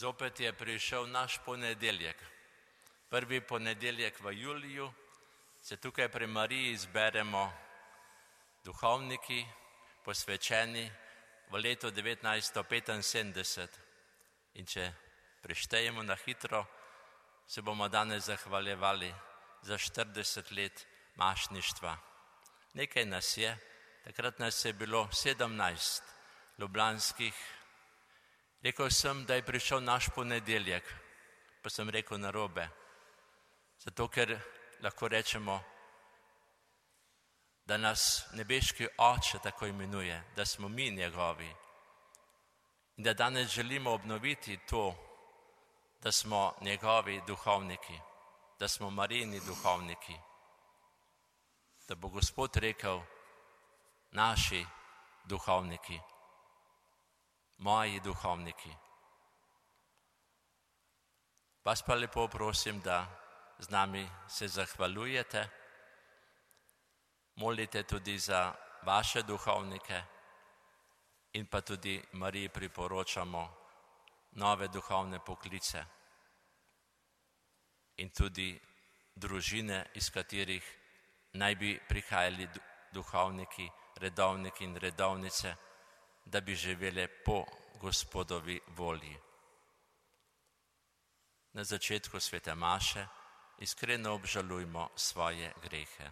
Zopet je prišel naš ponedeljek. Prvi ponedeljek v juliju se tukaj pri Mariji zberemo duhovniki, posvečeni v letu 1975. In če preštejemo na hitro, se bomo danes zahvaljevali za 40 let mašništva. Nekaj nas je, takrat nas je bilo 17 ljubljanskih. Rekel sem, da je prišel naš ponedeljek, pa sem rekel narobe. Zato, ker lahko rečemo, da nas nebeški Oče tako imenuje, da smo mi njegovi. In da danes želimo obnoviti to, da smo njegovi duhovniki, da smo Marijini duhovniki. Da bo Gospod rekel, naši duhovniki, moji duhovniki. Vas pa lepo prosim, da z nami se zahvaljujete, molite tudi za vaše duhovnike in pa tudi Mariji priporočamo nove duhovne poklice in tudi družine, iz katerih naj bi prihajali duhovniki, redovniki in redovnice, da bi živeli po Gospodovi volji. Na začetku svete maše iskreno obžalujmo svoje grehe.